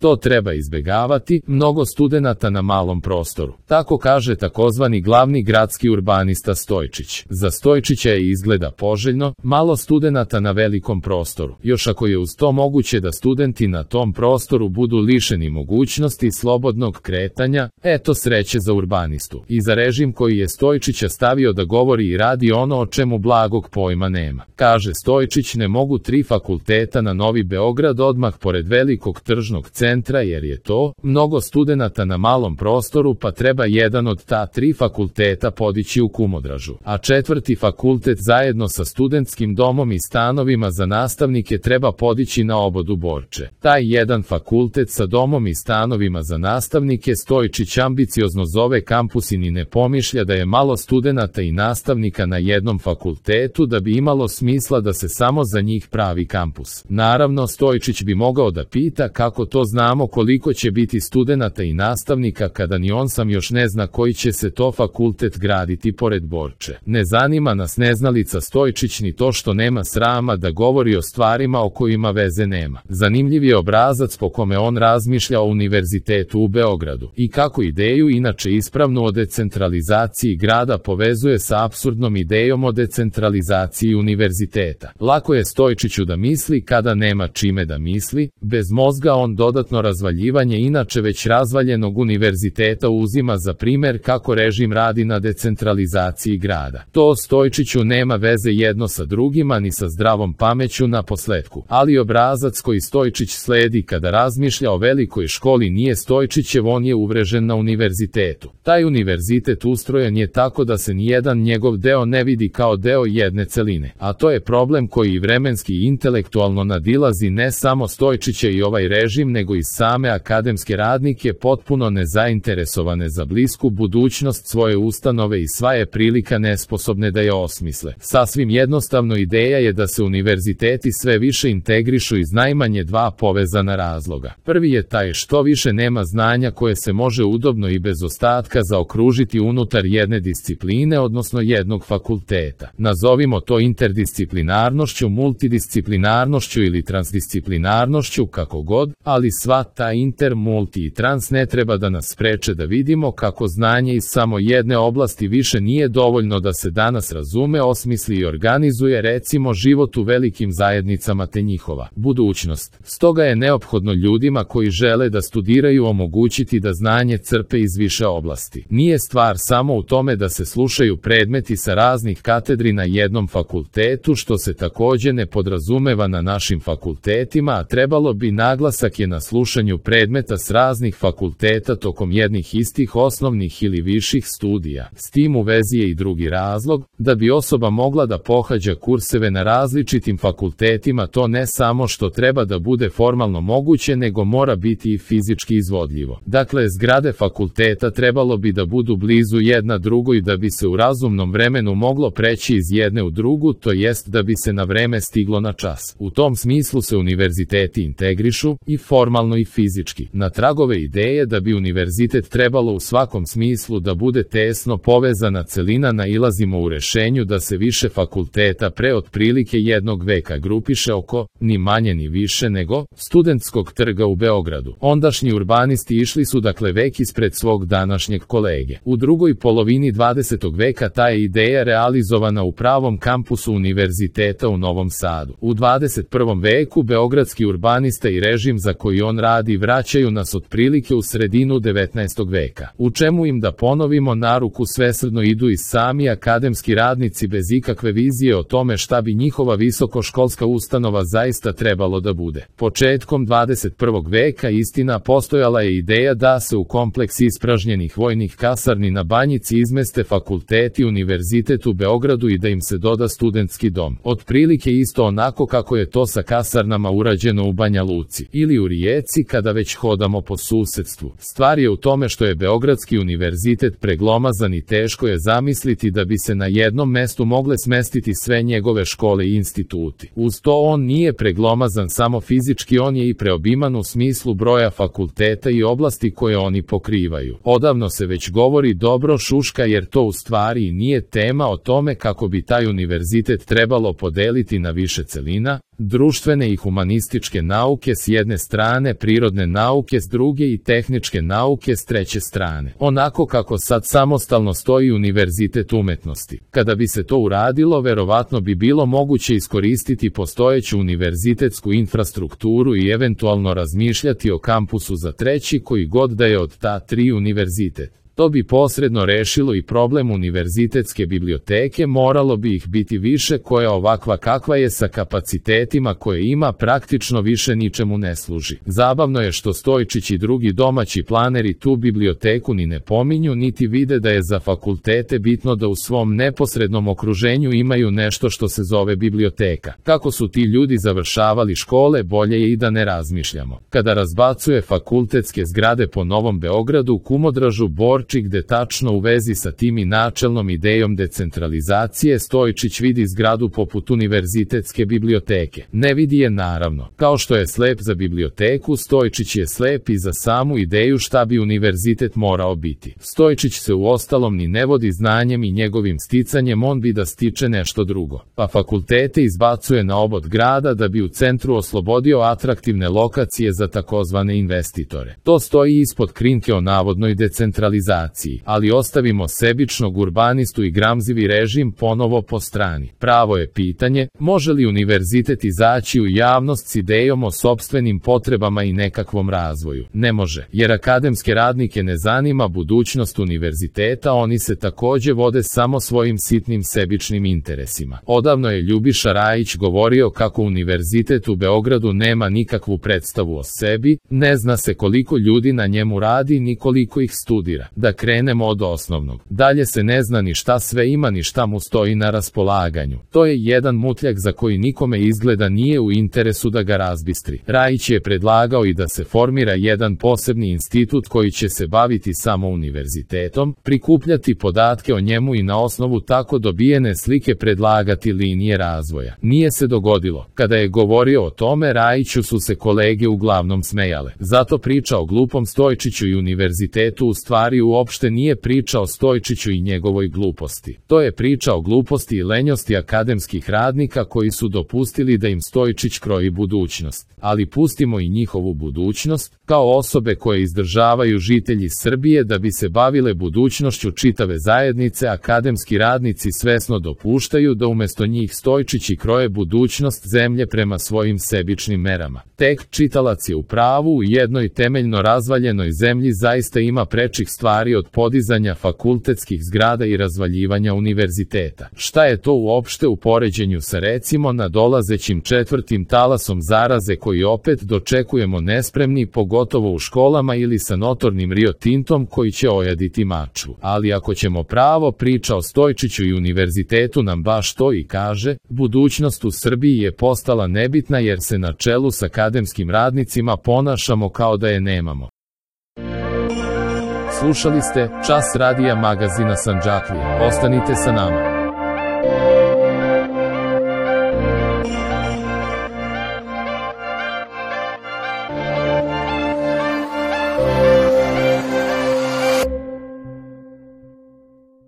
To treba izbegavati, mnogo studenata na malom prostoru. Tako kaže takozvani glavni gradski urbanista Stojčić. Za Stojčića je izgleda poželjno, malo studenata na velikom prostoru. Još ako je uz to moguće da studenti na tom prostoru budu lišeni mogućnosti slobodnog kretanja, eto sreće za urbanistu. I za režim koji je Stojčića stavio da govori i radi ono o čemu blagog pojma nema. Kaže Stojčić, ne mogu 3 fakulteta na Novi Beograd odmah pored velikog tržnog centra jer je to mnogo studenata na malom prostoru, pa treba jedan od ta 3 fakulteta podići u Kumodražu, a 4. fakultet zajedno sa studentskim domom i stanovima za nastavnike treba podići na obodu Borče. Taj jedan fakultet sa domom i stanovima za nastavnike Stojčić ambiciozno zove kampus i ni ne pomišlja da je malo studenata i nastavnika na jednom fakultetu da bi imalo smisla da se samo za njih pravi kampus. Naravno, Stojčić bi mogao da pita kako to znamo koliko će biti studenata i nastavnika kada ni on sam još ne zna koji će se to fakultet graditi pored Borče. Ne zanima nas neznalica Stojčić ni to što nema srama da govori o stvarima o kojima veze nema. Zanimljiv je obrazac po kome on razmišlja o univerzitetu u Beogradu i kako ideju, inače ispravnu, o decentralizaciji grada povezuje sa apsurdnom idejom o decentralizaciji univerziteta. Lako je Stojčiću da misli kada nema čime da misli, bez mozga on dodatno razvaljivanje inače već razvaljenog univerziteta uzima za primer kako režim radi na decentralizaciji grada. To Stojčiću nema veze jedno sa drugima ni sa zdravom pameću na posletku, ali obrazac koji Stojčić sledi kada razmišlja o velikoj školi nije Stojčićev, on je uvrežen na univerzitetu. Taj univerzitet ustrojen je tako da se nijedan njegov deo ne vidi kao deo jedne celine, a to je problem koji i vremenski i intelektualno nadilazi ne samo Stojčića i ovaj režim, nego i same akademske radnike potpuno nezainteresovane za blisku budućnost svoje ustanove i sva je prilika nesposobne da je osmisle. Sasvim jednostavno ideja je da se univerziteti sve više integrišu iz najmanje 2 povezana razloga. Prvi je taj što više nema znanja koje se može udobno i bez ostatka zaokružiti unutar jedne discipline, odnosno jednog fakulteta. Nazovimo to interdisciplinarnošću, multidisciplinarnošću ili transdisciplinarnošću, kako god, ali sva ta inter, multi i trans ne treba da nas spreče da vidimo kako znanje iz samo jedne oblasti više nije dovoljno da se danas razume, osmisli i organizuje recimo život u velikim zajednicama te njihova budućnost. Stoga je neophodno ljudima koji žele da studiraju omogućiti da znanje crpe iz više oblasti. Nije stvar samo u tome da se slušaju predmeti sa raznih katedri na jednom fakultetu, što se takođe ne podrazumeva na našim fakultetima, a trebalo bi naglasak je na slušanju predmeta s raznih fakulteta tokom jednih istih osnovnih ili viših studija. S tim u vezi je i drugi razlog, da bi osoba mogla da pohađa kurseve na različitim fakultetima, to ne samo što treba da bude formalno moguće, nego mora biti i fizički izvodljivo. Dakle, zgrade fakulteta trebalo bi da budu blizu jedna drugoj da bi se u razumnom vremenu moglo preći iz jedne u drugu, to jest da bi se na vreme stiglo na čas. U tom smislu se univerziteti integrišu i formalno i fizički. Na tragove ideje da bi univerzitet trebalo u svakom smislu da bude tesno povezana celina nailazimo u rešenju da se više fakulteta pre otprilike jednog veka grupiše oko, ni manje ni više nego, Studentskog trga u Beogradu. Ondašnji urbanisti išli su dakle vek ispred svog današnjeg kolege. U drugoj polovini 20. veka ta je ideja realizovana u pravom kampusu univerziteta u Novom Sadu. U 21. veku beogradski urbanista i režim za koji on radi vraćaju nas otprilike u sredinu 19. veka. U čemu im da ponovimo na ruku svesrdno idu i sami akademski radnici bez ikakve vizije o tome šta bi njihova visokoškolska ustanova zaista trebalo da bude. Početkom 21. veka istina postojala je ideja da se u kompleks ispražnjenih vojnih kasarni na Banjici izmeste fakulteti univerzitet u Beogradu i da im se doda studentski dom. Otprilike isto onako kako je to sa kasarnama urađeno u Banja Luci ili u Rijeci kada već hodamo po susedstvu. Stvar je u tome što je Beogradski univerzitet preglomazan i teško je zamisliti da bi se na jednom mestu mogle smestiti sve njegove škole i instituti. Uz to on nije preglomazan samo fizički, on je i preobiman u smislu broja fakulteta i oblasti koje oni pokrivaju. Odavno se već govori dobro šuška jer to u stvari i nije tema o tome kako bi taj univerzitet trebalo podeliti na više celina, Društvene i humanističke nauke s jedne strane, prirodne nauke s druge i tehničke nauke s treće strane. Onako kako sad samostalno stoji Univerzitet umetnosti. Kada bi se to uradilo, verovatno bi bilo moguće iskoristiti postojeću univerzitetsku infrastrukturu i eventualno razmišljati o kampusu za treći koji god da je od ta tri univerzitet. To bi posredno rešilo i problem univerzitetske biblioteke, moralo bi ih biti više, koja ovakva kakva je sa kapacitetima koje ima praktično više ničemu ne služi. Zabavno je što Stojčić i drugi domaći planeri tu biblioteku ni ne pominju, niti vide da je za fakultete bitno da u svom neposrednom okruženju imaju nešto što se zove biblioteka. Kako su ti ljudi završavali škole, bolje je i da ne razmišljamo. Kada razbacuje fakultetske zgrade po Novom Beogradu, Kumodražu, gde tačno u vezi sa tim i načelnom idejom decentralizacije Stojčić vidi zgradu poput univerzitetske biblioteke. Ne vidi je naravno. Kao što je slep za biblioteku, Stojčić je slep i za samu ideju šta bi univerzitet morao biti. Stojčić se uostalom ni ne vodi znanjem i njegovim sticanjem, on bi da stiče nešto drugo. Pa fakultete izbacuje na obod grada da bi u centru oslobodio atraktivne lokacije za takozvane investitore. To stoji ispod krinke o navodnoj decentralizaciji. Ali ostavimo sebičnog urbanistu i gramzivi režim ponovo po strani. Pravo je pitanje, može li univerzitet izaći u javnost s idejom o sopstvenim potrebama i nekakvom razvoju? Ne može, jer akademske radnike ne zanima budućnost univerziteta, oni se takođe vode samo svojim sitnim sebičnim interesima. Odavno je Ljubiša Rajić govorio kako univerzitet u Beogradu nema nikakvu predstavu o sebi, ne zna se koliko ljudi na njemu radi ni koliko ih studira. Da krenemo od osnovnog. Dalje se ne zna ni šta sve ima ni šta mu stoji na raspolaganju. To je jedan mutljak za koji nikome izgleda nije u interesu da ga razbistri. Rajić je predlagao i da se formira jedan posebni institut koji će se baviti samo univerzitetom, prikupljati podatke o njemu i na osnovu tako dobijene slike predlagati linije razvoja. Nije se dogodilo. Kada je govorio o tome, Rajiću su se kolege uglavnom smejale. Zato priča o glupom Stojčiću i univerzitetu u stvari uopšte nije priča o Stojčiću i njegovoj gluposti. To je priča o gluposti i lenjosti akademskih radnika koji su dopustili da im Stojčić kroji budućnost. Ali pustimo i njihovu budućnost, kao osobe koje izdržavaju žitelji Srbije da bi se bavile budućnošću čitave zajednice, akademski radnici svesno dopuštaju da umesto njih Stojčići kroje budućnost zemlje prema svojim sebičnim merama. Tek čitalac je u pravu, u jednoj temeljno razvaljenoj zemlji zaista ima prečih stvari od podizanja fakultetskih zgrada i razvaljivanja univerziteta. Šta je to uopšte u poređenju sa recimo nadolazećim četvrtim talasom zaraze koji opet dočekujemo nespremni, pogotovo u školama, ili sa notornim Rio Tintom koji će ojaditi Mačvu. Ali ako ćemo pravo, priča o Stojčiću i univerzitetu nam baš to i kaže, budućnost u Srbiji je postala nebitna jer se na čelu s akademskim radnicima ponašamo kao da je nemamo. Slušali ste Čas radija magazina Sandžaklija. Ostanite sa nama.